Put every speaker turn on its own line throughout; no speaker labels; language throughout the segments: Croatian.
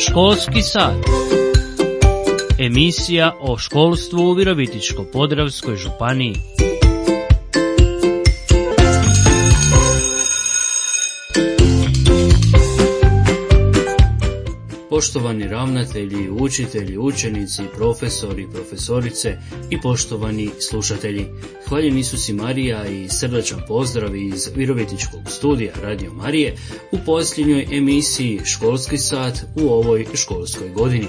Školski sat. Emisija o školstvu u Virovitičko-podravskoj županiji. Poštovani ravnatelji, učitelji, učenici, profesori, profesorice i poštovani slušatelji. Hvaljen Isus i Marija i srdačan pozdrav iz Virovitičkog studija Radio Marije u posljednjoj emisiji Školski sat u ovoj školskoj godini.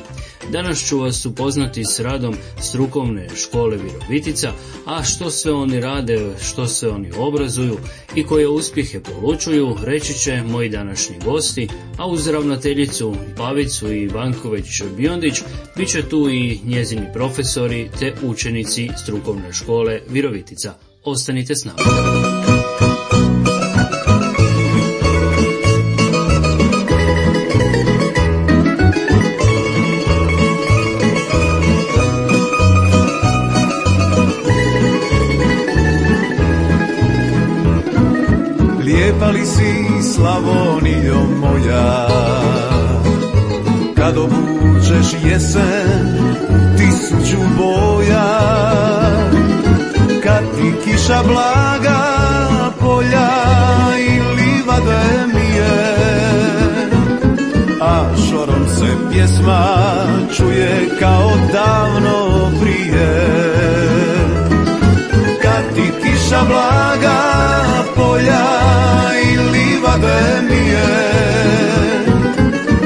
Danas ću vas upoznati s radom strukovne škole Virovitica, a što sve oni rade, što sve oni obrazuju i koje uspjehe polučuju, reći će moji današnji gosti, a uz ravnateljicu Pavicu i Vanković-Biondić bit će tu i njezini profesori te učenici strukovne škole Virovitica. Ostanite s nama.
Lijepa li si, Slavonijo moja, kad obučeš jesen tisuću boja, kad ti kiša blaga polja i livade mije, a šorom se pjesma čuje kao davno prije. Kad ti kiša blaga polja i livade mije,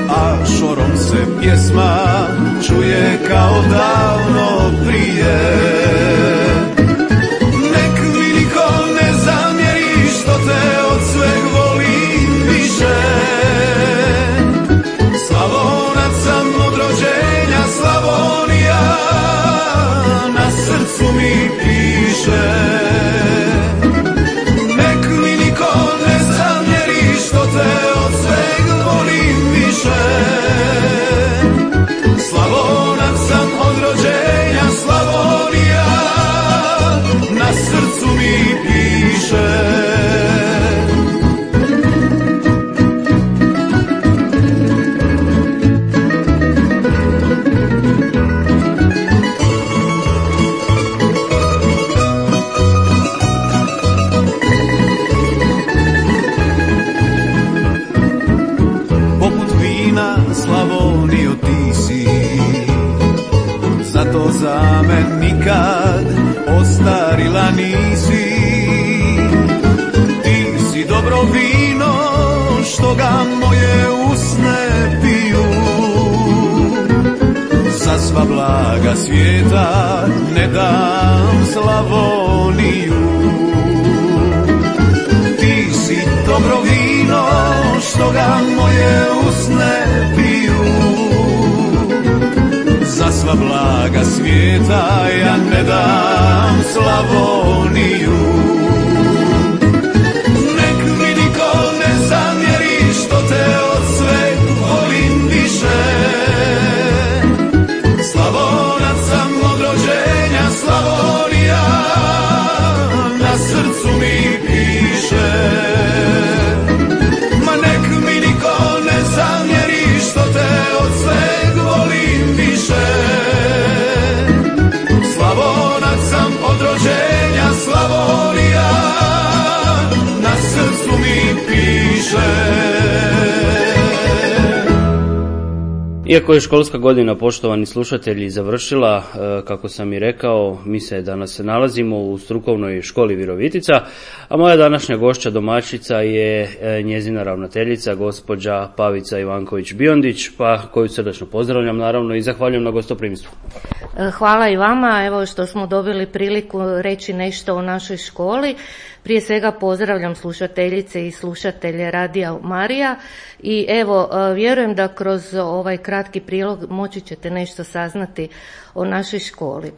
a šorom se pjesma čuje kao davno prije. Nek mi niko ne zamjeri što te od sveg volim više. Slavonac sam od rođenja, Slavonija na srcu mi piše. Slavonac sam od rođenja, Slavonija na srcu mi piše. Slavonio ti si, zato za men nikad ostarila nisi. Ti si dobro vino što ga moje usne piju, za sva blaga svijeta ne dam Slavoniju. Ti si dobro vino što ga moje usne piju, za sva blaga svijeta ja ne dam Slavoniju. Nek mi niko ne zamjeri što te od sveg volim više. Slavonac sam od rođenja, Slavonija na srcu mi piše. Zamjeri što te od sveg volim više. Slavonac sam od rođenja, Slavonija na srcu mi piše.
Iako je školska godina, poštovani slušatelji, završila, kako sam i rekao, mi se danas nalazimo u strukovnoj školi Virovitica, a moja današnja gošća domaćica je njezina ravnateljica, gospođa Pavica Ivanković-Biondić, pa koju srdačno pozdravljam naravno i zahvaljujem na gostoprimstvu.
Hvala i vama, evo što smo dobili priliku reći nešto o našoj školi. Prije svega pozdravljam slušateljice i slušatelje Radija Marija i evo vjerujem da kroz ovaj kratki prilog moći ćete nešto saznati o našoj školi.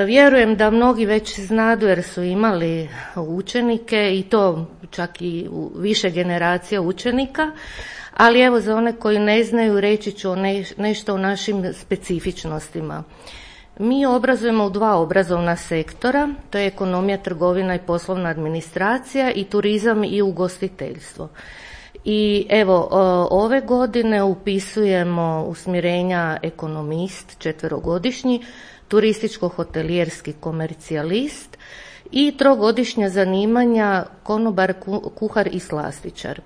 Vjerujem da mnogi već znadu jer su imali učenike i to čak i više generacija učenika, ali evo za one koji ne znaju reći ću nešto o našim specifičnostima. Mi obrazujemo u 2 obrazovna sektora, to je ekonomija, trgovina i poslovna administracija i turizam i ugostiteljstvo. I evo, ove godine upisujemo usmjerenja ekonomist 4-godišnji, turističko-hotelijerski komercijalist i 3-godišnja zanimanja konobar, kuhar i slastičar.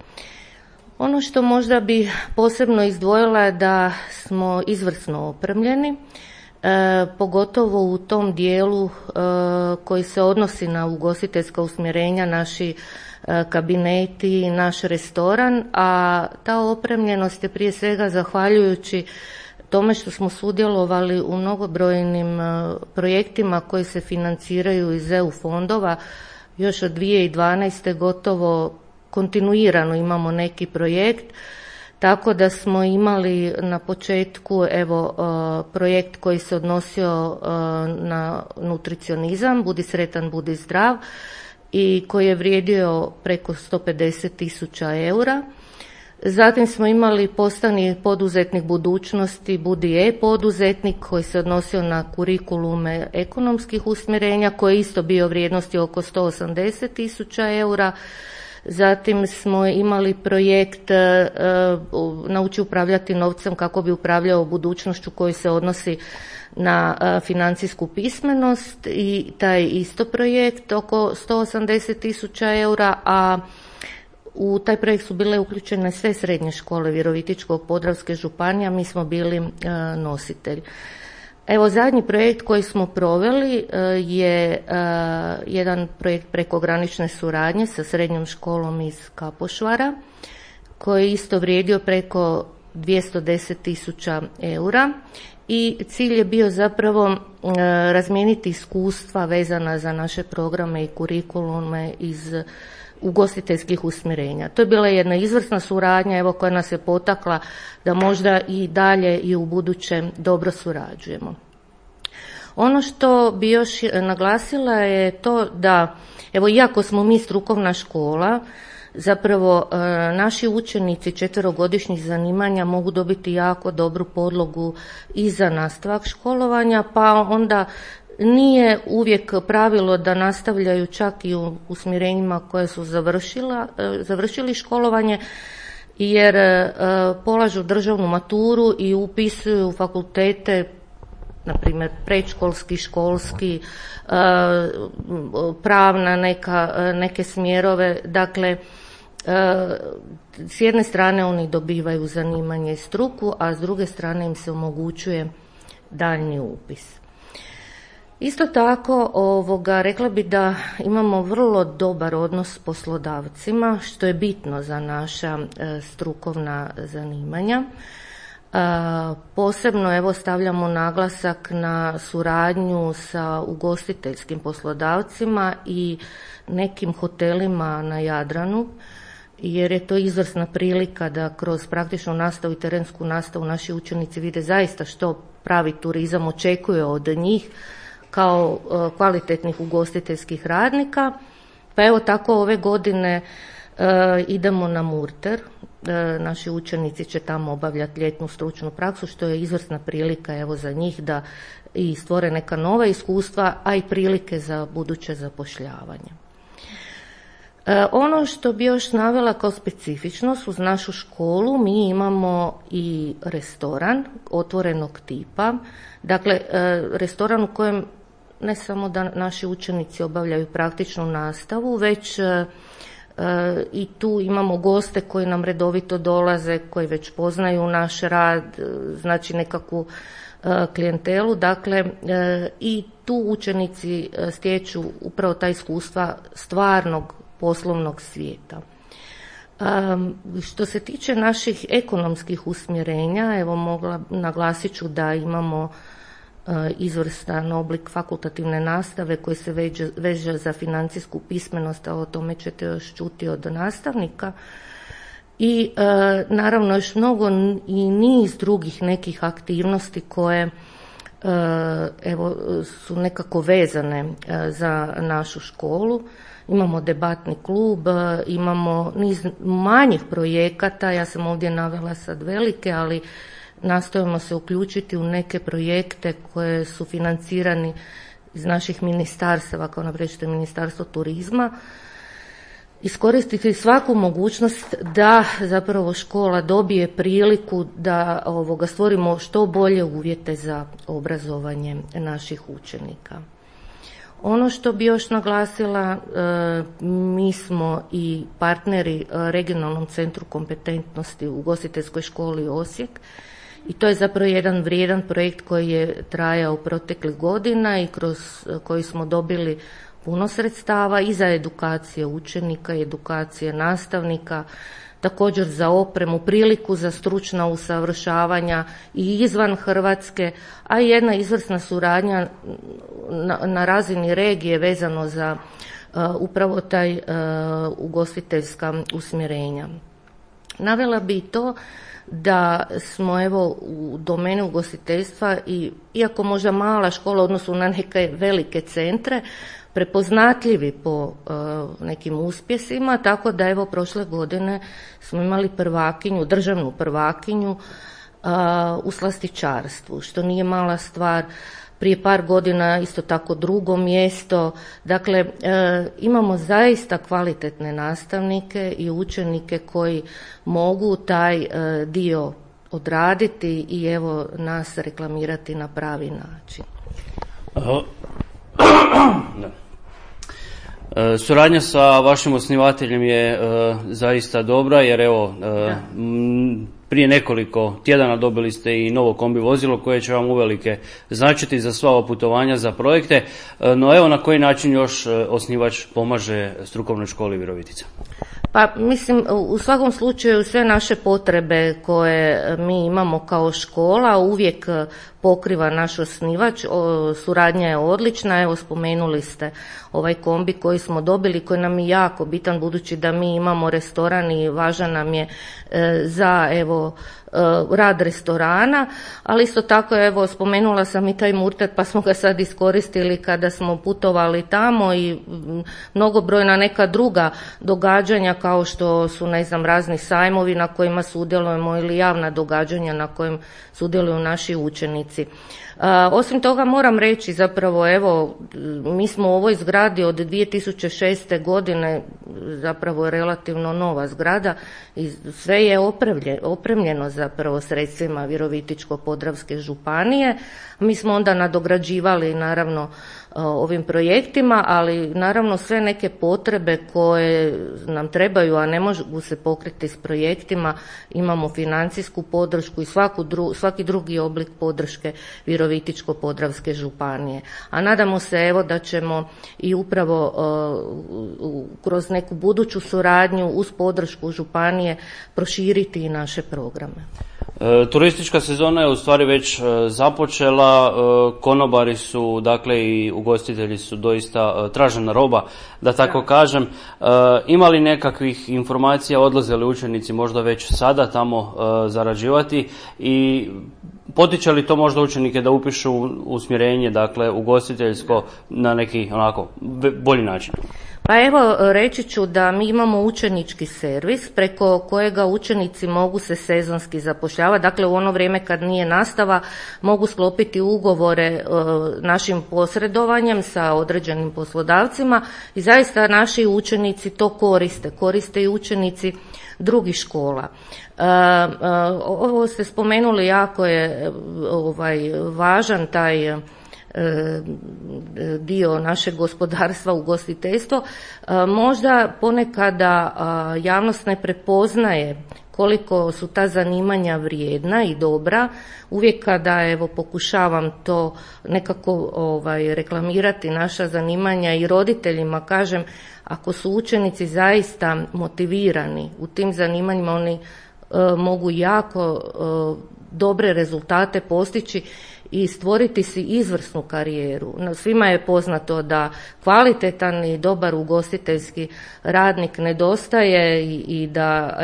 Ono što možda bi posebno izdvojila je da smo izvrsno opremljeni, pogotovo u tom dijelu koji se odnosi na ugostiteljska usmjerenja, naši kabineti, naš restoran, a ta opremljenost je prije svega zahvaljujući tome što smo sudjelovali u mnogobrojnim projektima koji se financiraju iz EU fondova. Još od 2012. gotovo kontinuirano imamo neki projekt, tako da smo imali na početku projekt koji se odnosio na nutricionizam, budi sretan, budi zdrav, i koji je vrijedio preko 150.000 eura. Zatim smo imali postani poduzetnik budućnosti, budi e-poduzetnik, koji se odnosio na kurikulume ekonomskih usmjerenja, koji je isto bio vrijednosti oko 180.000 eura. Zatim smo imali projekt Nauči upravljati novcem kako bi upravljao budućnošću, koji se odnosi na financijsku pismenost, i taj isto projekt oko 180.000 eura, a u taj projekt su bile uključene sve srednje škole Virovitičko-podravske županije, mi smo bili nositelj. Evo, zadnji projekt koji smo proveli je jedan projekt prekogranične suradnje sa srednjom školom iz Kapošvara, koji je isto vrijedio preko 210.000 eura, i cilj je bio zapravo razmijeniti iskustva vezana za naše programe i kurikulume iz ugostiteljskih usmjerenja. To je bila jedna izvrsna suradnja, evo, koja nas je potakla da možda i dalje i u buduće dobro surađujemo. Ono što bi još naglasila je to da, evo, iako smo mi strukovna škola, zapravo naši učenici 4-godišnjih zanimanja mogu dobiti jako dobru podlogu i za nastavak školovanja, pa onda nije uvijek pravilo da nastavljaju čak i u usmjerenjima koje su završili školovanje, jer polažu državnu maturu i upisuju fakultete, na primjer predškolski, školski, pravna neke smjerove. Dakle, s jedne strane oni dobivaju zanimanje i struku, a s druge strane im se omogućuje daljnji upis. Isto tako, rekla bi da imamo vrlo dobar odnos s poslodavcima, što je bitno za naša strukovna zanimanja. Posebno stavljamo naglasak na suradnju sa ugostiteljskim poslodavcima i nekim hotelima na Jadranu, jer je to izvrsna prilika da kroz praktičnu nastavu i terensku nastavu naši učenici vide zaista što pravi turizam očekuje od njih kao kvalitetnih ugostiteljskih radnika. Pa evo tako ove godine idemo na Murter. Naši učenici će tamo obavljati ljetnu stručnu praksu, što je izvrsna prilika za njih da i stvore neka nova iskustva, a i prilike za buduće zapošljavanje. Ono što bi još navela kao specifičnost uz našu školu, mi imamo i restoran otvorenog tipa. Dakle, restoran u kojem ne samo da naši učenici obavljaju praktičnu nastavu, već i tu imamo goste koji nam redovito dolaze, koji već poznaju naš rad, znači nekakvu klijentelu. Dakle, i tu učenici stječu upravo ta iskustva stvarnog poslovnog svijeta. Što se tiče naših ekonomskih usmjerenja, naglasit ću da imamo izvrstan oblik fakultativne nastave koji se veže za financijsku pismenost, a o tome ćete još čuti od nastavnika. I naravno još mnogo i niz drugih nekih aktivnosti koje su nekako vezane za našu školu. Imamo debatni klub, imamo niz manjih projekata, ja sam ovdje navela sad velike, ali nastojimo se uključiti u neke projekte koje su financirani iz naših ministarstava, kao naprijed što je Ministarstvo turizma. iskoristiti svaku mogućnost da zapravo škola dobije priliku da stvorimo što bolje uvjete za obrazovanje naših učenika. Ono što bi još naglasila, mi smo i partneri Regionalnom centru kompetentnosti u Ugostiteljskoj školi Osijek i to je zapravo jedan vrijedan projekt koji je trajao proteklih godina i kroz koji smo dobili puno sredstava i za edukacije učenika i edukacije nastavnika, također za opremu, priliku za stručna usavršavanja i izvan Hrvatske, a i jedna izvrsna suradnja na razini regije vezano za upravo taj ugostiteljska usmjerenja. Navela bi i to da smo u domeni ugostiteljstva i iako možda mala škola u odnosu na neke velike centre, prepoznatljivi po nekim uspjesima, tako da prošle godine smo imali državnu prvakinju u slastičarstvu, što nije mala stvar. Prije par godina isto tako drugo mjesto. Dakle, imamo zaista kvalitetne nastavnike i učenike koji mogu taj dio odraditi i nas reklamirati na pravi način.
Suradnja sa vašim osnivateljem je zaista dobra jer prije nekoliko tjedana dobili ste i novo kombi vozilo koje će vam uvelike značiti za sva ova putovanja za projekte. No na koji način još osnivač pomaže strukovnoj školi Virovitica?
Pa mislim, u svakom slučaju sve naše potrebe koje mi imamo kao škola uvijek pokriva naš osnivač. Suradnja je odlična. Spomenuli ste ovaj kombi koji smo dobili, koji nam je jako bitan budući da mi imamo restoran i važan nam je za rad restorana, ali isto tako spomenula sam i taj Murter pa smo ga sad iskoristili kada smo putovali tamo i mnogobrojna neka druga događanja kao što su razni sajmovi na kojima sudjelujemo ili javna događanja na kojim sudjeluju naši učenici. Osim toga moram reći zapravo mi smo u ovoj zgradi od 2006. godine zapravo relativno nova zgrada i sve je opremljeno zapravo sredstvima Virovitičko-podravske županije. Mi smo onda nadograđivali naravno ovim projektima, ali naravno sve neke potrebe koje nam trebaju, a ne mogu se pokriti s projektima, imamo financijsku podršku i svaki drugi oblik podrške Virovitičko-podravske županije. A nadamo se da ćemo i upravo kroz neku buduću suradnju uz podršku županije proširiti i naše programe.
Turistička sezona je u stvari već započela, konobari su, dakle i ugostitelji su doista tražena roba, da tako kažem. Ima li nekakvih informacija, odlaze li učenici možda već sada tamo zarađivati i potiče li to možda učenike da upišu usmjerenje, dakle ugostiteljsko na neki onako bolji način?
Pa reći ću da mi imamo učenički servis preko kojega učenici mogu se sezonski zapošljavati, dakle u ono vrijeme kad nije nastava mogu sklopiti ugovore našim posredovanjem sa određenim poslodavcima i zaista naši učenici to koriste i učenici drugih škola. Ovo ste spomenuli, jako je važan taj dio našeg gospodarstva, ugostiteljstvo. Možda ponekada javnost ne prepoznaje koliko su ta zanimanja vrijedna i dobra. Uvijek kada pokušavam to nekako reklamirati naša zanimanja i roditeljima kažem, ako su učenici zaista motivirani u tim zanimanjima, oni mogu jako dobre rezultate postići i stvoriti si izvrsnu karijeru. Svima je poznato da kvalitetan i dobar ugostiteljski radnik nedostaje i da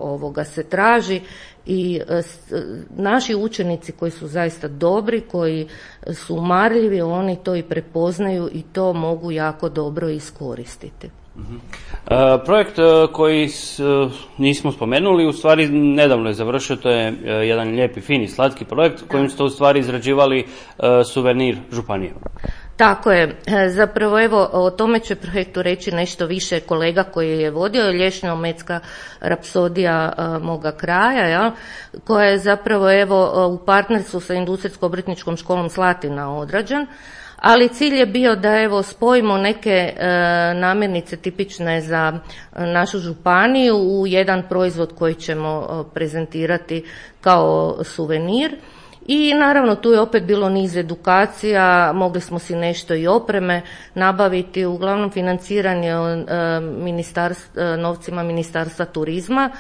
ovoga se traži i naši učenici koji su zaista dobri, koji su marljivi, oni to i prepoznaju i to mogu jako dobro iskoristiti.
Projekt koji nismo spomenuli, u stvari nedavno je završio, to je jedan lijepi, fini, slatki projekt kojim ste u stvari izrađivali suvenir županije.
Tako je. Zapravo evo o tome će projektu reći nešto više kolega koji je vodio, Lješnjo-Ometska rapsodija moga kraja, ja, koja je zapravo evo u partnerstvu sa Industrijsko-obrtničkom školom Slatina odrađen. Ali cilj je bio da evo spojimo neke namirnice tipične za našu županiju u jedan proizvod koji ćemo prezentirati kao suvenir. I naravno tu je opet bilo niz edukacija, mogli smo si nešto i opreme nabaviti, uglavnom financiranje novcima Ministarstva turizma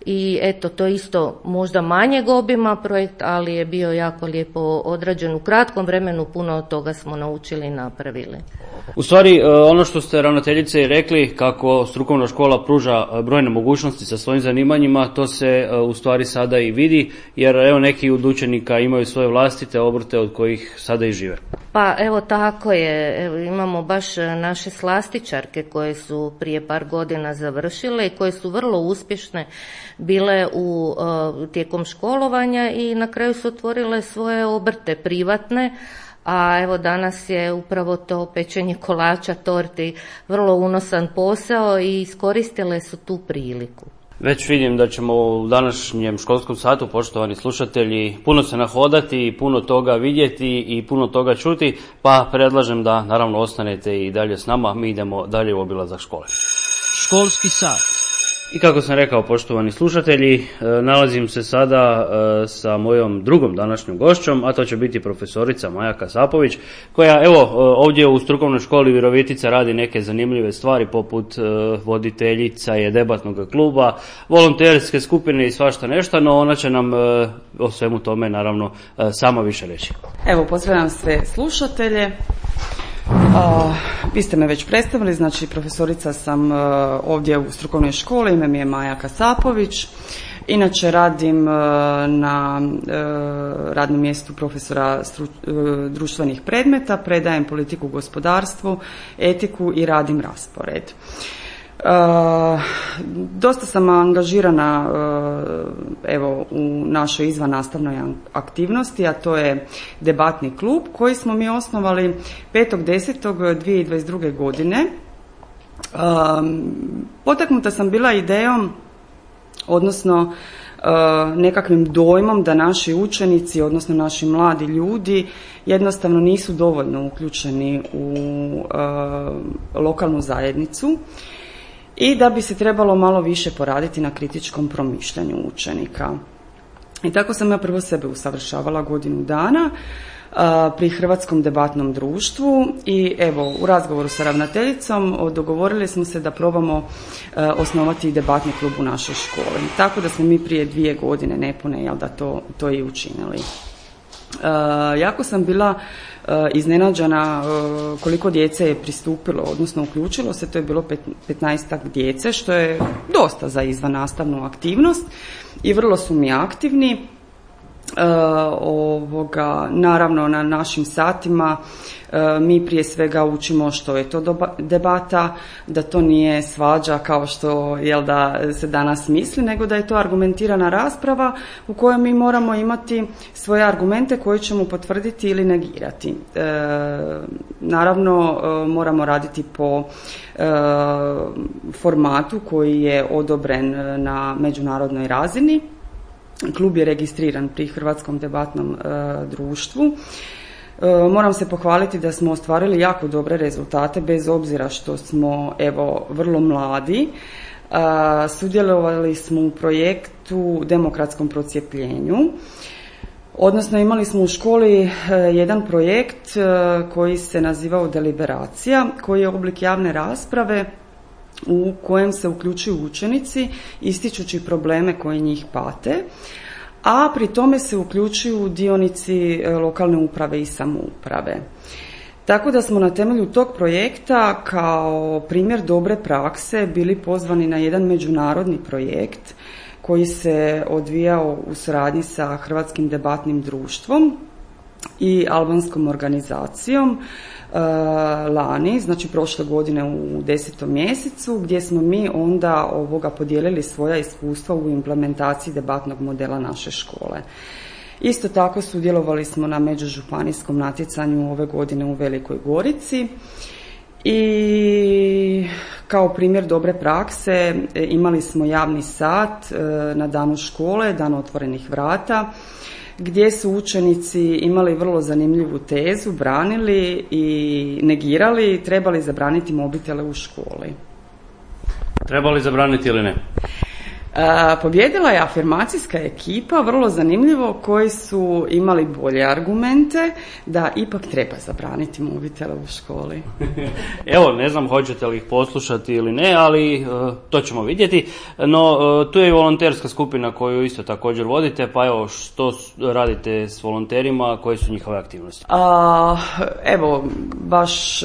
i eto to je isto možda manjeg obima projekt, ali je bio jako lijepo odrađen u kratkom vremenu, puno od toga smo naučili i napravili.
U stvari, ono što ste ravnateljice i rekli, kako strukovna škola pruža brojne mogućnosti sa svojim zanimanjima, to se u stvari sada i vidi, jer evo neki od učenika imaju svoje vlastite obrte od kojih sada i žive.
Pa evo tako je, evo, imamo baš naše slastičarke koje su prije par godina završile i koje su vrlo uspješne bile tijekom školovanja i na kraju su otvorile svoje obrte privatne. A evo danas je upravo to pečenje kolača, torti vrlo unosan posao i iskoristile su tu priliku.
Već vidim da ćemo u današnjem školskom satu, poštovani slušatelji, puno se nahodati, puno toga vidjeti i puno toga čuti, pa predlažem da naravno ostanete i dalje s nama, mi idemo dalje u obilazak škole. Školski sat. I kako sam rekao, poštovani slušatelji, nalazim se sada sa mojom drugom današnjom gošćom, a to će biti profesorica Maja Kasapović, koja evo ovdje u strukovnoj školi Virovitica radi neke zanimljive stvari, poput voditeljica je debatnog kluba, volonterske skupine i svašta nešto, no ona će nam o svemu tome naravno sama više reći.
Evo, pozdravljam sve slušatelje. Vi ste me već predstavili, znači profesorica sam ovdje u strukovnoj školi, ime mi je Maja Kasapović. Inače radim na radnom mjestu profesora društvenih predmeta, predajem politiku, gospodarstvu, etiku i radim raspored. Dosta sam angažirana evo u našoj izvannastavnoj aktivnosti, a to je debatni klub koji smo mi osnovali 5.10.2022. godine. Potaknuta sam bila idejom, odnosno nekakvim dojmom da naši učenici, odnosno naši mladi ljudi jednostavno nisu dovoljno uključeni u lokalnu zajednicu i da bi se trebalo malo više poraditi na kritičkom promišljanju učenika. I tako sam ja prvo sebe usavršavala godinu dana pri Hrvatskom debatnom društvu i evo u razgovoru sa ravnateljicom dogovorili smo se da probamo osnovati debatni klub u našoj školi. Tako da smo mi prije 2 godine nepune da to i učinili. Jako sam bila iznenađena koliko djece je pristupilo, odnosno uključilo se, to je bilo 15-ak djece, što je dosta za izvannastavnu aktivnost i vrlo su mi aktivni. Naravno na našim satima mi prije svega učimo što je to debata, da to nije svađa kao što se danas misli, nego da je to argumentirana rasprava u kojoj mi moramo imati svoje argumente koje ćemo potvrditi ili negirati. Naravno moramo raditi po formatu koji je odobren na međunarodnoj razini. Klub je registriran pri Hrvatskom debatnom društvu. Moram se pohvaliti da smo ostvarili jako dobre rezultate bez obzira što smo vrlo mladi. Sudjelovali smo u projektu Demokratskom procijepljenju. Odnosno imali smo u školi jedan projekt koji se nazivao Deliberacija, koji je oblik javne rasprave u kojem se uključuju učenici ističući probleme koji njih pate, a pri tome se uključuju dionici lokalne uprave i samouprave. Tako da smo na temelju tog projekta kao primjer dobre prakse bili pozvani na jedan međunarodni projekt koji se odvijao u suradnji sa Hrvatskim debatnim društvom i albanskom organizacijom lani, znači prošle godine u 10. mjesecu, gdje smo mi onda podijelili svoja iskustva u implementaciji debatnog modela naše škole. Isto tako sudjelovali smo na međužupanijskom natjecanju ove godine u Velikoj Gorici i kao primjer dobre prakse imali smo javni sat na danu škole, dan otvorenih vrata, gdje su učenici imali vrlo zanimljivu tezu, branili i negirali trebali zabraniti mobitele u školi.
Trebali zabraniti ili ne?
Pobjedila je afirmacijska ekipa, vrlo zanimljivo, koji su imali bolje argumente da ipak treba zabraniti mobitele u školi.
Evo, ne znam hoćete li ih poslušati ili ne, ali to ćemo vidjeti. No, tu je i volonterska skupina koju isto također vodite, pa evo, što radite s volonterima, koje su njihove aktivnosti?
Evo, baš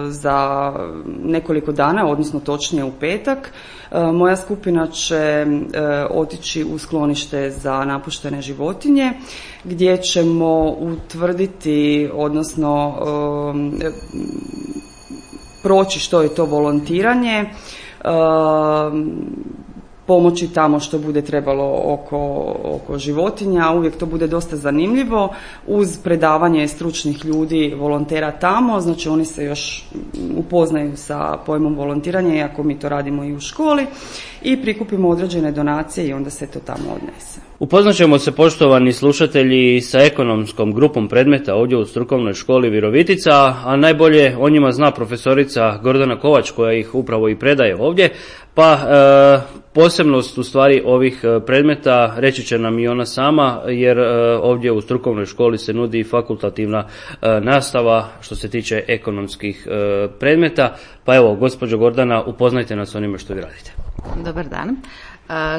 za nekoliko dana, odnosno točnije u petak, moja skupina će otići u sklonište za napuštene životinje, gdje ćemo utvrditi, odnosno proći što je to volontiranje, pomoći tamo što bude trebalo oko životinja. Uvijek to bude dosta zanimljivo uz predavanje stručnih ljudi, volontera tamo, znači oni se još upoznaju sa pojmom volontiranja, iako mi to radimo i u školi, i prikupimo određene donacije i onda se to tamo odnese.
Upoznat ćemo se, poštovani slušatelji, sa ekonomskom grupom predmeta ovdje u strukovnoj školi Virovitica, a najbolje o njima zna profesorica Gordana Kovač, koja ih upravo i predaje ovdje, pa posebnost u stvari ovih predmeta reći će nam i ona sama, jer ovdje u strukovnoj školi se nudi fakultativna nastava što se tiče ekonomskih predmeta. Pa evo, gospođo Gordana, upoznajte nas onime što vi radite.
Dobar dan.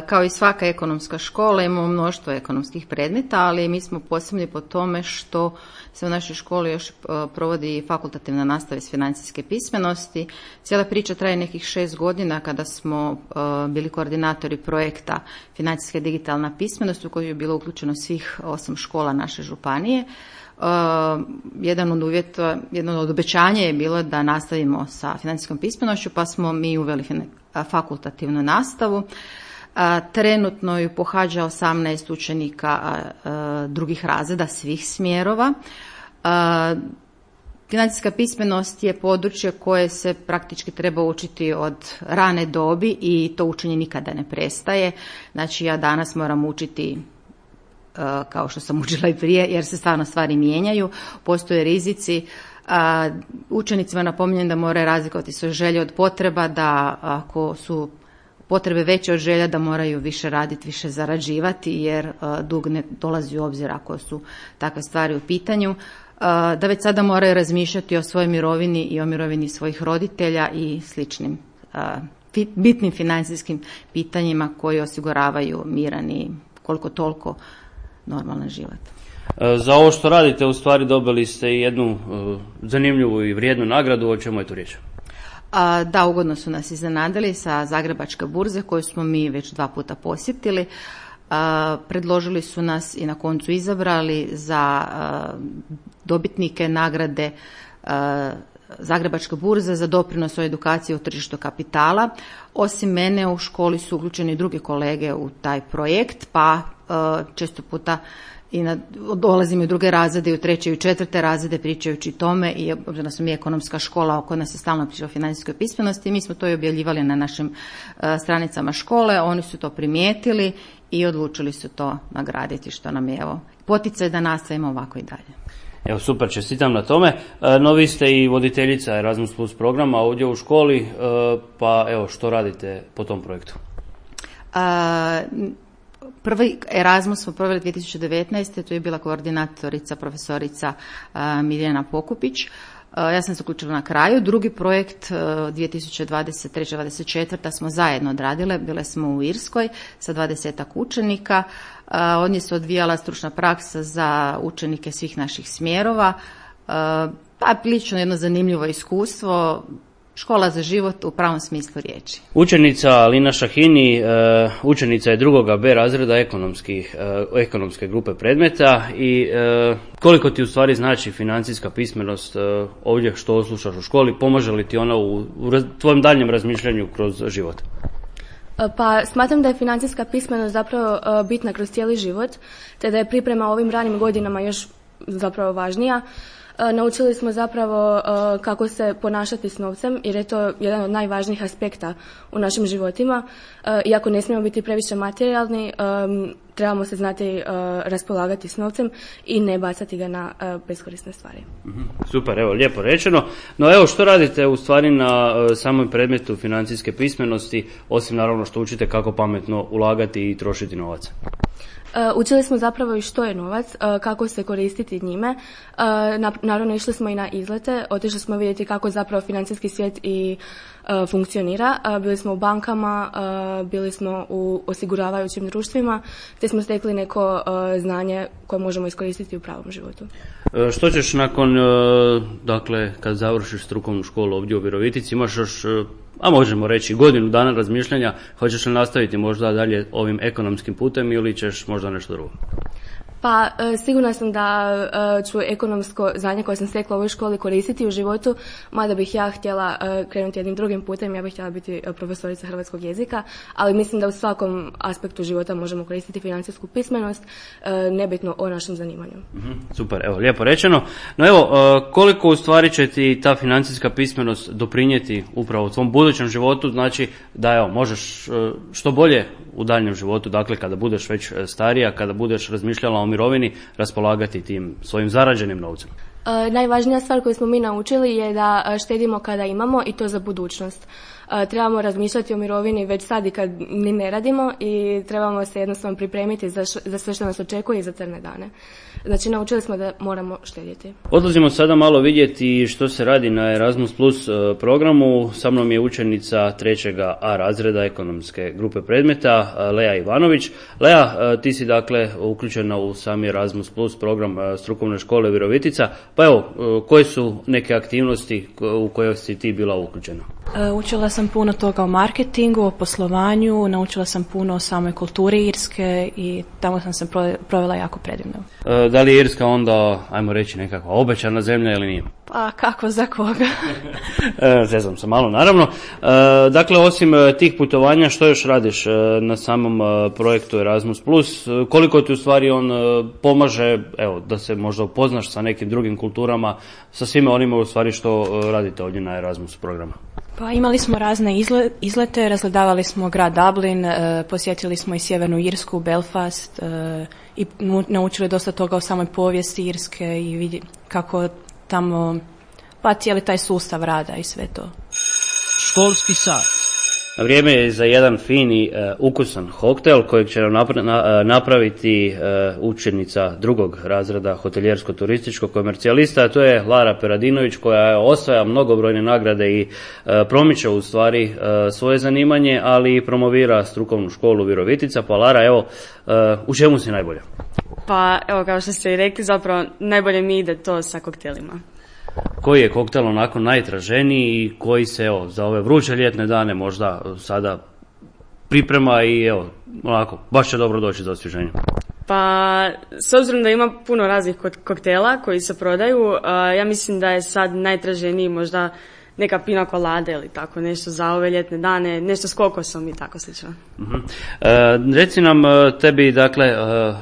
Kao i svaka ekonomska škola imamo mnoštvo ekonomskih predmeta, ali mi smo posebni po tome što se u našoj školi još provodi fakultativna nastava iz financijske pismenosti. Cijela priča traje nekih 6 godina kada smo bili koordinatori projekta financijska digitalna pismenost u koju je bilo uključeno svih 8 škola naše županije. Jedno od obećanja je bilo da nastavimo sa financijskom pismenošću, pa smo mi uveli fakultativnu nastavu. Trenutno ju pohađa 18 učenika drugih razreda svih smjerova. Financijska pismenost je područje koje se praktički treba učiti od rane dobi i to učenje nikada ne prestaje. Znači ja danas moram učiti kao što sam učila i prije, jer se stvarno stvari mijenjaju, postoje rizici. Učenicima napominjem da moraju razlikovati svoje želje od potreba, da ako su potrebe veće od želja da moraju više raditi, više zarađivati, jer dug ne dolazi u obzir ako su takve stvari u pitanju. Da već sada moraju razmišljati o svojoj mirovini i o mirovini svojih roditelja i sličnim bitnim financijskim pitanjima koji osiguravaju miran i koliko toliko normalan život.
Za ovo što radite u stvari dobili ste jednu zanimljivu i vrijednu nagradu, o čemu je tu riječ?
Da, ugodno su nas iznenadili sa Zagrebačke burze koju smo mi već 2 puta posjetili. Predložili su nas i na koncu izabrali za dobitnike nagrade Zagrebačke burze za doprinos o edukaciji o tržištu kapitala. Osim mene u školi su uključeni drugi kolege u taj projekt, pa često puta dolazim i u druge razrede, i u 3. i u 4. razrede pričajući tome, i obzirom da smo mi ekonomska škola, oko nas je stalno priča o financijskoj pismenosti, mi smo to i objavljivali na našim stranicama škole, oni su to primijetili i odlučili su to nagraditi, što nam je poticaj da nastavimo ovako i dalje.
Evo, super, čestitam na tome. No, vi ste i voditeljica Erasmus Plus programa ovdje u školi, pa evo, što radite po tom projektu?
Prvi Erasmus smo proveli 2019. Tu je bila koordinatorica profesorica Miljana Pokupić. Ja sam se uključila na kraju. Drugi projekt 2023-2024 smo zajedno odradile. Bile smo u Irskoj sa 20 učenika. Od nje se odvijala stručna praksa za učenike svih naših smjerova. Pa prilično jedno zanimljivo iskustvo. Škola za život u pravom smislu riječi.
Učenica Lina Šahini, učenica je 2. B razreda ekonomske grupe predmeta i koliko ti u stvari znači financijska pismenost ovdje što slušaš u školi, pomaže li ti ona u tvojem daljnjem razmišljanju kroz život?
Pa smatram da je financijska pismenost zapravo bitna kroz cijeli život, te da je priprema ovim ranim godinama još zapravo važnija. Naučili smo zapravo kako se ponašati s novcem, jer je to jedan od najvažnijih aspekta u našim životima. Iako ne smijemo biti previše materijalni, trebamo se znati raspolagati s novcem i ne bacati ga na beskorisne stvari.
Super, evo, lijepo rečeno. No evo, što radite u stvari na samom predmetu financijske pismenosti, osim naravno što učite kako pametno ulagati i trošiti novac?
Učili smo zapravo i što je novac, kako se koristiti njime. Naravno, išli smo i na izlete, otišli smo vidjeti kako zapravo financijski svijet i funkcionira. Bili smo u bankama, bili smo u osiguravajućim društvima, te smo stekli neko znanje koje možemo iskoristiti u pravom životu.
Što ćeš nakon, dakle, kad završiš strukovnu školu ovdje u Virovitici, imaš još, a možemo reći, godinu dana razmišljanja, hoćeš li nastaviti možda dalje ovim ekonomskim putem ili ćeš možda nešto drugo?
Pa sigurna sam da ću ekonomsko znanje koje sam stekla u ovoj školi koristiti u životu, mada bih ja htjela krenuti jednim drugim putem, ja bih htjela biti profesorica hrvatskog jezika, ali mislim da u svakom aspektu života možemo koristiti financijsku pismenost, nebitno o našem zanimanju.
Super, evo, lijepo rečeno. No evo, koliko u stvari će ti ta financijska pismenost doprinijeti upravo u tvom budućem životu, znači da evo, možeš što bolje u daljnjem životu, dakle kada budeš već starija, kada budeš razmišljala o mirovini, raspolagati tim svojim zarađenim novcem?
Najvažnija stvar koju smo mi naučili je da štedimo kada imamo i to za budućnost. Trebamo razmišljati o mirovini već sad i kad ni ne radimo i trebamo se jednostavno pripremiti za sve što nas očekuje i za crne dane. Znači, naučili smo da moramo štedjeti.
Odlazimo sada malo vidjeti što se radi na Erasmus Plus programu. Sa mnom je učenica 3. A razreda ekonomske grupe predmeta, Lea Ivanović. Lea, ti si dakle uključena u sami Erasmus Plus program strukovne škole Virovitica. Pa evo, koje su neke aktivnosti u koje si ti bila uključena?
Učila sam puno toga o marketingu, o poslovanju, naučila sam puno o samoj kulturi Irske i tamo sam se provela jako predivno.
Da li je Irska onda, ajmo reći, nekakva obećana zemlja ili nije?
Pa kako za koga?
Zezam se malo, naravno. Dakle, osim tih putovanja, što još radiš na samom projektu Erasmus+? Koliko ti u stvari on pomaže, evo, da se možda upoznaš sa nekim drugim kulturama, sa svime onima u stvari što radite ovdje na Erasmus programu?
Pa imali smo razne izlete, razgledavali smo grad Dublin, posjetili smo i Sjevernu Irsku, Belfast i naučili dosta toga o samoj povijesti Irske i vidi kako tamo pa cijeli taj sustav rada i sve to.
Školski sat. Vrijeme je za jedan fini, ukusan koktel kojeg će nam napraviti učenica 2. razreda hoteljersko-turističkog komercijalista, a to je Lara Peradinović, koja osvaja mnogobrojne nagrade i promiče u stvari svoje zanimanje, ali i promovira strukovnu školu Virovitica. Pa Lara, evo, u čemu si najbolja?
Pa evo, kao što ste i rekli, zapravo najbolje mi ide to sa koktelima.
Koji je koktel onako najtraženiji i koji se evo za ove vruće ljetne dane možda sada priprema i evo onako baš će dobro doći za osvježenje?
Pa s obzirom da ima puno raznih koktela koji se prodaju, ja mislim da je sad najtraženiji možda neka pina colada ili tako nešto za ove ljetne dane, nešto s kokosom i tako slično.
Reci nam, tebi dakle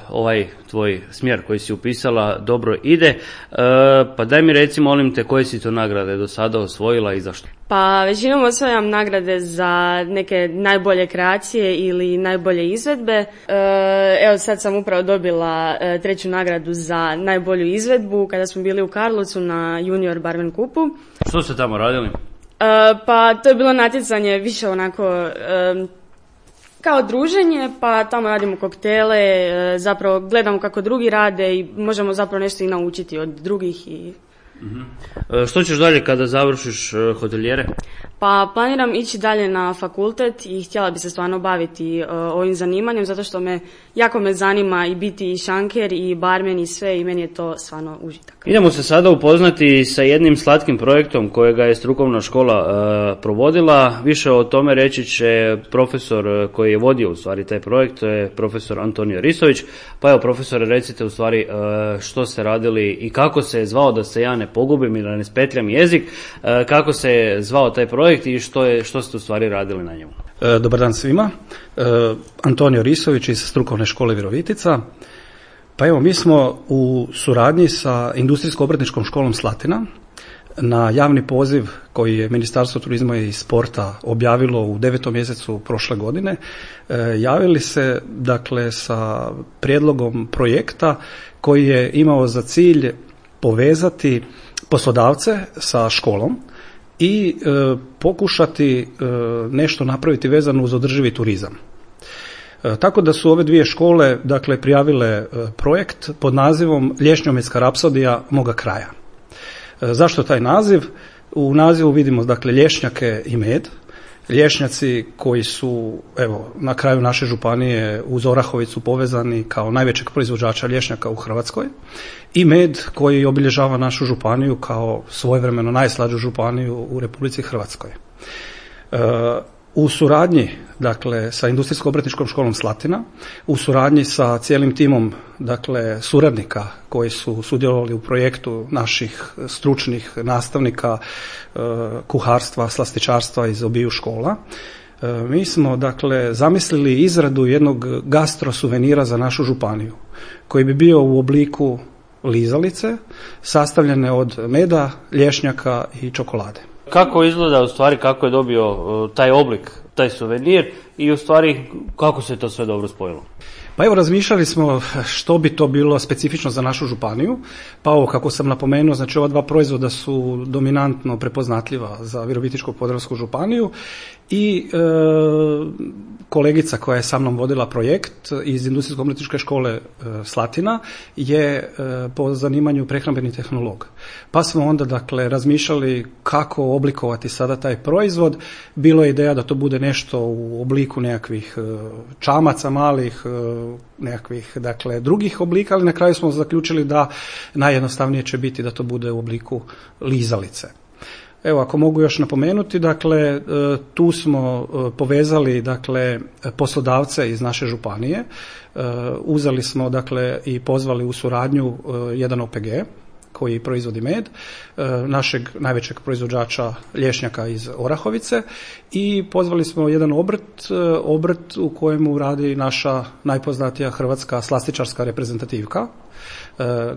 ovaj tvoj smjer koji si upisala dobro ide, pa daj mi reci, molim te, koje si to nagrade do sada osvojila i zašto?
Pa većinom osvajam nagrade za neke najbolje kreacije ili najbolje izvedbe. Evo sad sam upravo dobila 3. nagradu za najbolju izvedbu kada smo bili u Karlovcu na Junior Barmen Kupu.
Što ste tamo radili?
Pa to je bilo natjecanje više onako kao druženje, pa tamo radimo koktele, zapravo gledamo kako drugi rade i možemo zapravo nešto i naučiti od drugih.
Što ćeš dalje kada završiš hotelijere?
Pa planiram ići dalje na fakultet i htjela bi se stvarno baviti ovim zanimanjem, zato što jako me zanima i biti i šanker i barmen i sve, i meni je to stvarno užitak.
Idemo se sada upoznati sa jednim slatkim projektom kojega je strukovna škola provodila. Više o tome reći će profesor koji je vodio u stvari taj projekt, to je profesor Antonio Risović. Pa evo, profesore, recite u stvari što ste radili i kako se je zvao, da se ja ne pogubim ili da ne spetljam jezik. Kako se zvao taj projekt i što ste u stvari radili na njemu?
Dobar dan svima. Antonio Risović iz Strukovne škole Virovitica. Pa evo, mi smo u suradnji sa Industrijsko-obrtničkom školom Slatina na javni poziv koji je Ministarstvo turizma i sporta objavilo u 9. mjesecu prošle godine, javili se dakle sa prijedlogom projekta koji je imao za cilj povezati poslodavce sa školom i pokušati nešto napraviti vezano uz održivi turizam. Tako da su ove dvije škole dakle prijavile projekt pod nazivom Lješnjometska rapsodija moga kraja. Zašto taj naziv? U nazivu vidimo dakle lješnjake i med. Lješnjaci koji su evo na kraju naše županije uz Orahovicu povezani kao najvećeg proizvođača lješnjaka u Hrvatskoj i med koji obilježava našu županiju kao svojevremeno najslađu županiju u Republici Hrvatskoj. U suradnji dakle sa Industrijsko-obrtničkom školom Slatina, u suradnji sa cijelim timom dakle suradnika koji su sudjelovali u projektu naših stručnih nastavnika kuharstva, slastičarstva iz obiju škola, mi smo dakle zamislili izradu jednog gastro suvenira za našu županiju koji bi bio u obliku lizalice sastavljene od meda, lješnjaka i čokolade.
Kako izgleda u stvari, kako je dobio taj oblik, taj suvenir i u stvari kako se to sve dobro spojilo?
Pa evo, razmišljali smo što bi to bilo specifično za našu županiju, pa ovo kako sam napomenuo, znači ova dva proizvoda su dominantno prepoznatljiva za Virovitičko-podravsku županiju i kolegica koja je sa mnom vodila projekt iz Industrijsko-obrtničke škole Slatina je po zanimanju prehrambeni tehnolog. Pa smo onda dakle razmišljali kako oblikovati sada taj proizvod. Bilo je ideja da to bude nešto u obliku nekakvih čamaca malih, nekakvih dakle drugih oblika, ali na kraju smo zaključili da najjednostavnije će biti da to bude u obliku lizalice. Evo, ako mogu još napomenuti, dakle, tu smo povezali, dakle, poslodavce iz naše županije, uzeli smo, dakle, i pozvali u suradnju jedan OPG koji proizvodi med, našeg najvećeg proizvođača lješnjaka iz Orahovice i pozvali smo jedan obrt u kojemu radi naša najpoznatija hrvatska slastičarska reprezentativka,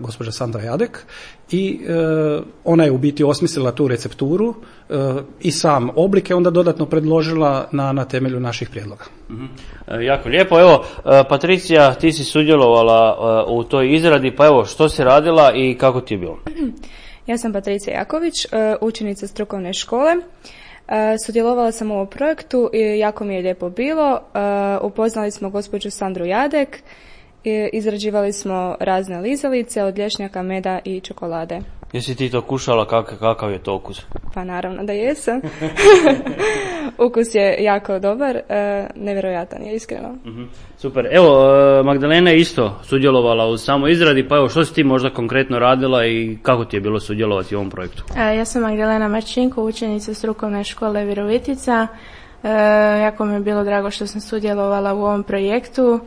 gospođa Sandra Jadek, i ona je u biti osmislila tu recepturu i sam oblik je onda dodatno predložila na temelju naših prijedloga.
Jako lijepo. Evo, Patricija, ti si sudjelovala u toj izradi, pa evo, što si radila i kako ti je bilo?
Ja sam Patricija Jaković, učenica strukovne škole. Sudjelovala sam u ovom projektu i jako mi je lijepo bilo. Upoznali smo gospođu Sandru Jadek, izrađivali smo razne lizalice od lješnjaka, meda i čokolade.
Jesi ti to kušala, kakav je to ukus?
Pa naravno da jesam. Ukus je jako dobar, nevjerojatan je, iskreno.
Super. Evo, Magdalena je isto sudjelovala u samoj izradi, pa evo, što si ti možda konkretno radila i kako ti je bilo sudjelovati u ovom projektu?
Ja sam Magdalena Marčinko, učenica strukovne škole Virovitica. Jako mi je bilo drago što sam sudjelovala u ovom projektu,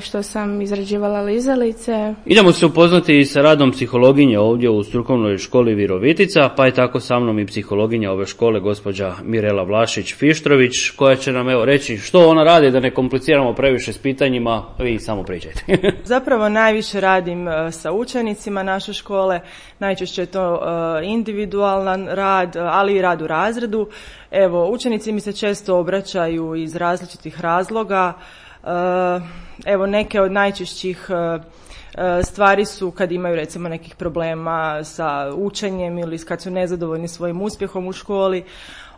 što sam izrađivala lizalice. Idemo
se upoznati i sa radom psihologinje ovdje u strukovnoj školi Virovitica, pa je tako sa mnom i psihologinja ove škole, gospođa Mirela Vlašić-Fištrović, koja će nam evo reći što ona radi, da ne kompliciramo previše s pitanjima, vi samo pričajte.
Zapravo najviše radim sa učenicima naše škole, najčešće je to individualan rad, ali i rad u razredu. Evo, učenici mi se često obraćaju iz različitih razloga. Evo, neke od najčešćih stvari su kad imaju recimo nekih problema sa učenjem ili kad su nezadovoljni svojim uspjehom u školi,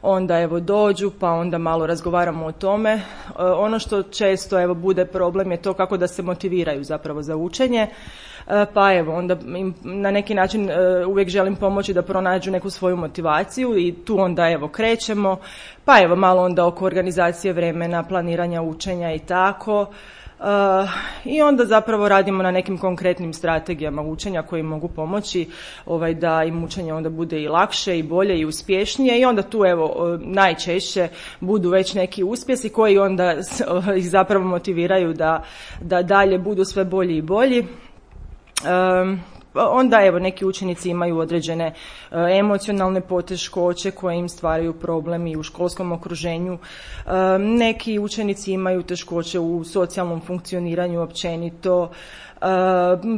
onda evo dođu pa onda malo razgovaramo o tome. Ono što često evo bude problem je to kako da se motiviraju zapravo za učenje. Pa evo, onda im na neki način uvijek želim pomoći da pronađu neku svoju motivaciju i tu onda evo krećemo, pa evo malo onda oko organizacije vremena, planiranja učenja i tako. I onda zapravo radimo na nekim konkretnim strategijama učenja koji mogu pomoći da im učenje onda bude i lakše i bolje i uspješnije i onda tu evo najčešće budu već neki uspjesi koji onda ih zapravo motiviraju da dalje budu sve bolji i bolji. Onda evo neki učenici imaju određene emocionalne poteškoće koje im stvaraju problem i u školskom okruženju. Neki učenici imaju teškoće u socijalnom funkcioniranju općenito,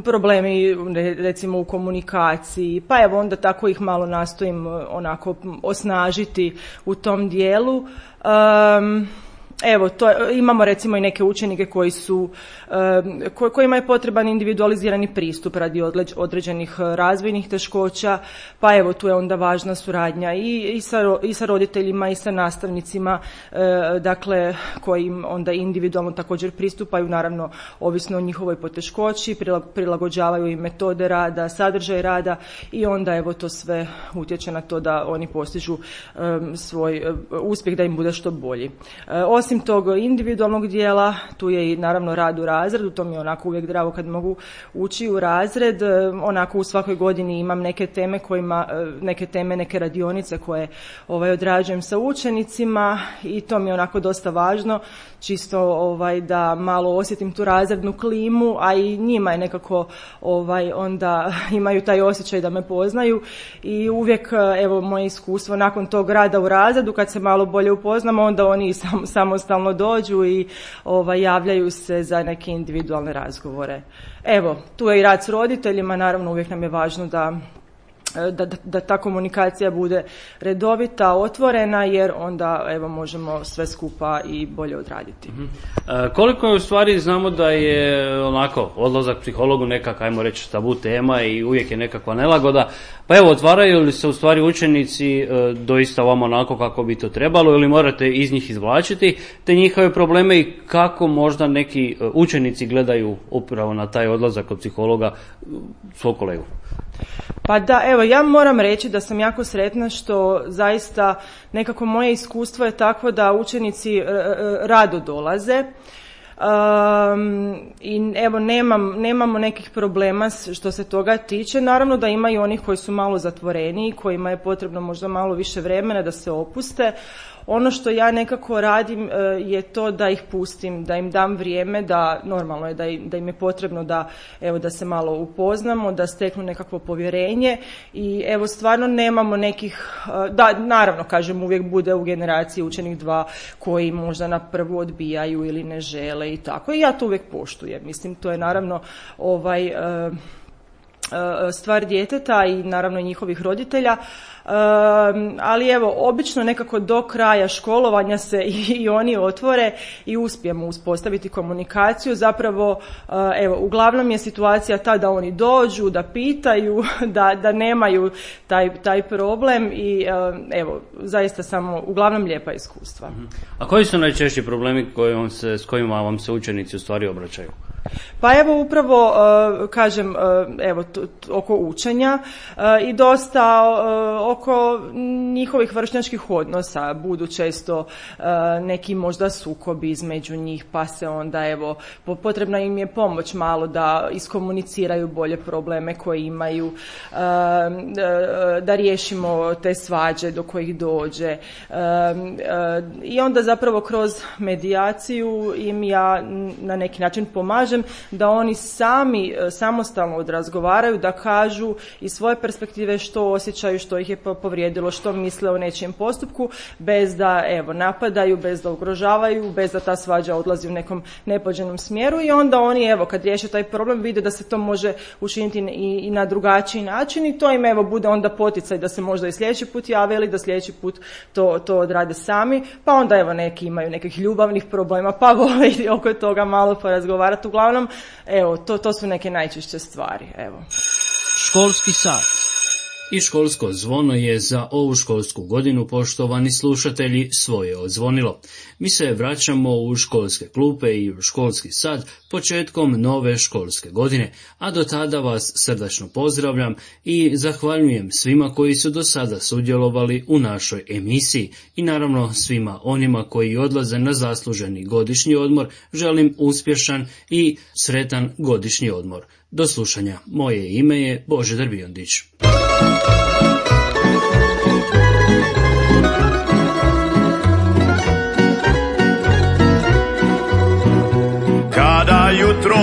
problemi recimo u komunikaciji, pa evo onda tako ih malo nastojim onako osnažiti u tom dijelu. Evo, imamo recimo i neke učenike kojima je potreban individualizirani pristup radi određenih razvojnih teškoća, pa evo tu je onda važna suradnja i sa roditeljima i sa nastavnicima, dakle koji im onda individualno također pristupaju, naravno ovisno o njihovoj poteškoći, prilagođavaju im metode rada, sadržaj rada i onda evo to sve utječe na to da oni postižu svoj uspjeh, da im bude što bolji. Osim tog individualnog dijela, tu je i naravno rad u razredu, to mi je onako uvijek drago kad mogu ući u razred, onako u svakoj godini imam neke teme, neke radionice koje odrađujem sa učenicima i to mi je onako dosta važno, čisto da malo osjetim tu razrednu klimu, a i njima je nekako onda imaju taj osjećaj da me poznaju i uvijek evo moje iskustvo nakon tog rada u razredu kad se malo bolje upoznamo, onda oni samostalno dođu i javljaju se za neke individualne razgovore. Evo, tu je i rad s roditeljima, naravno uvijek nam je važno da ta komunikacija bude redovita, otvorena, jer onda evo možemo sve skupa i bolje odraditi.
Koliko je u stvari znamo da je onako odlazak psihologu nekak, ajmo reći, tabu tema i uvijek je nekakva nelagoda, pa evo otvaraju li se u stvari učenici doista vam onako kako bi to trebalo ili morate iz njih izvlačiti te njihove probleme i kako možda neki učenici gledaju upravo na taj odlazak kod psihologa svog kolegu?
Pa da, evo, ja moram reći da sam jako sretna što zaista nekako moje iskustvo je takvo da učenici rado dolaze. I evo nemamo nekih problema što se toga tiče. Naravno da ima i onih koji su malo zatvoreniji, kojima je potrebno možda malo više vremena da se opuste. Ono što ja nekako radim je to da ih pustim, da im dam vrijeme, da normalno je da im je potrebno da se malo upoznamo, da steknu nekakvo povjerenje i evo stvarno nemamo nekih, da naravno kažem uvijek bude u generaciji učenik 2 koji možda na prvu odbijaju ili ne žele i tako i ja to uvijek poštujem. Mislim to je naravno stvar djeteta i naravno i njihovih roditelja, ali evo obično nekako do kraja školovanja se i oni otvore i uspijemo uspostaviti komunikaciju. Zapravo evo uglavnom je situacija ta da oni dođu, da pitaju, da nemaju taj problem i evo zaista samo uglavnom lijepa iskustva.
A koji su najčešći problemi s kojima vam se učenici u stvari obraćaju?
Pa evo upravo kažem evo oko učenja i dosta oko njihovih vršnjačkih odnosa budu često neki možda sukobi između njih, pa se onda evo potrebna im je pomoć malo da iskomuniciraju bolje probleme koje imaju, da riješimo te svađe do kojih dođe i onda zapravo kroz medijaciju im ja na neki način pomažem da oni sami samostalno odrazgovaraju, da kažu iz svoje perspektive što osjećaju, što ih je povrijedilo, što misle o nečijem postupku, bez da evo napadaju, bez da ugrožavaju, bez da ta svađa odlazi u nekom nepođenom smjeru i onda oni evo kad riješe taj problem vide da se to može učiniti i na drugačiji način i to im evo bude onda poticaj da se možda i sljedeći put jave ili da sljedeći put to odrade sami, pa onda evo neki imaju nekih ljubavnih problema pa vole i oko toga malo porazgovarati. Uglavnom, evo, to su neke najčešće stvari, evo.
Školski sat. I školsko zvono je za ovu školsku godinu, poštovani slušatelji, svoje odzvonilo. Mi se vraćamo u školske klupe i u školski sat početkom nove školske godine, a do tada vas srdačno pozdravljam i zahvaljujem svima koji su do sada sudjelovali u našoj emisiji i naravno svima onima koji odlaze na zasluženi godišnji odmor želim uspješan i sretan godišnji odmor. Do slušanja. Moje ime je Božidar Biondić.
Kada jutro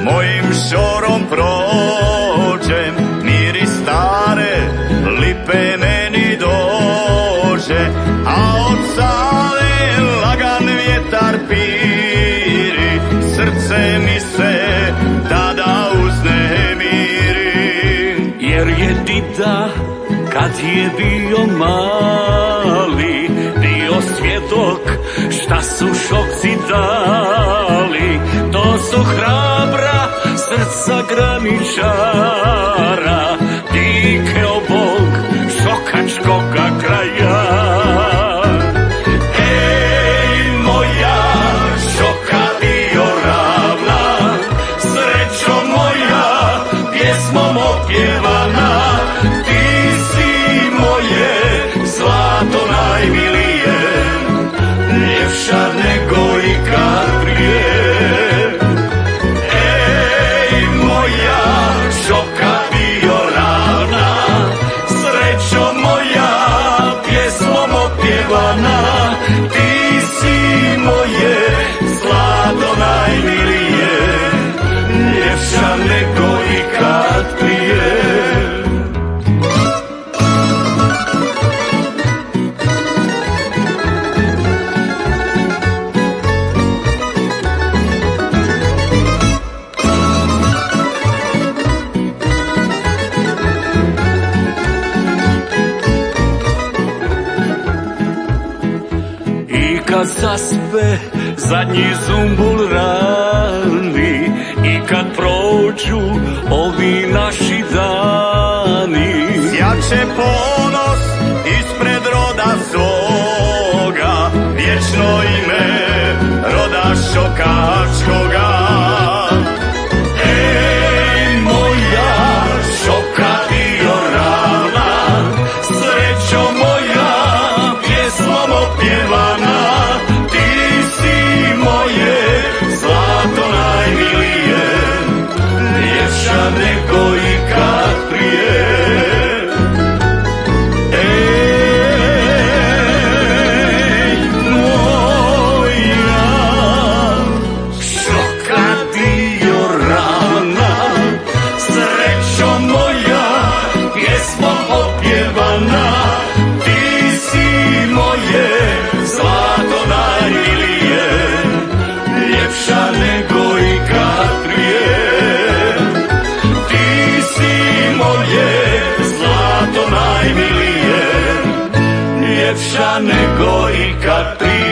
mojim šorom prođe, kad je bio mali, bio svjedok šta su šokci dali. To su hrabra srca graničara, dike obog šokačkoga kraja. Ej, moja šoka bio ravna, srećo moja, pjesmom opjevana, ti si moje zlato najmilije, ljepša nego ikad prije. Ej, moja šoka bio ravna, srećo moja, pjesmom opjevana, ti si moje zlato najmilije, ljepša nego ikad prije. Kad zaspe zadnji zumbul rani i kad prođu ovi naši dani, sjače ponos ispred roda svoga, vječno ime roda šokačkoga. Ej, moja šoka bio ravna, srećo moja, pjesmom opjevana, nego ikad prije. Ej, moja šoka dio ravna, srećo moja, pjesmom opjevana, ti si moje zlato najmilije, ljepša nego ikad prije. Zlato najmilije, ljepša nego ikad prije.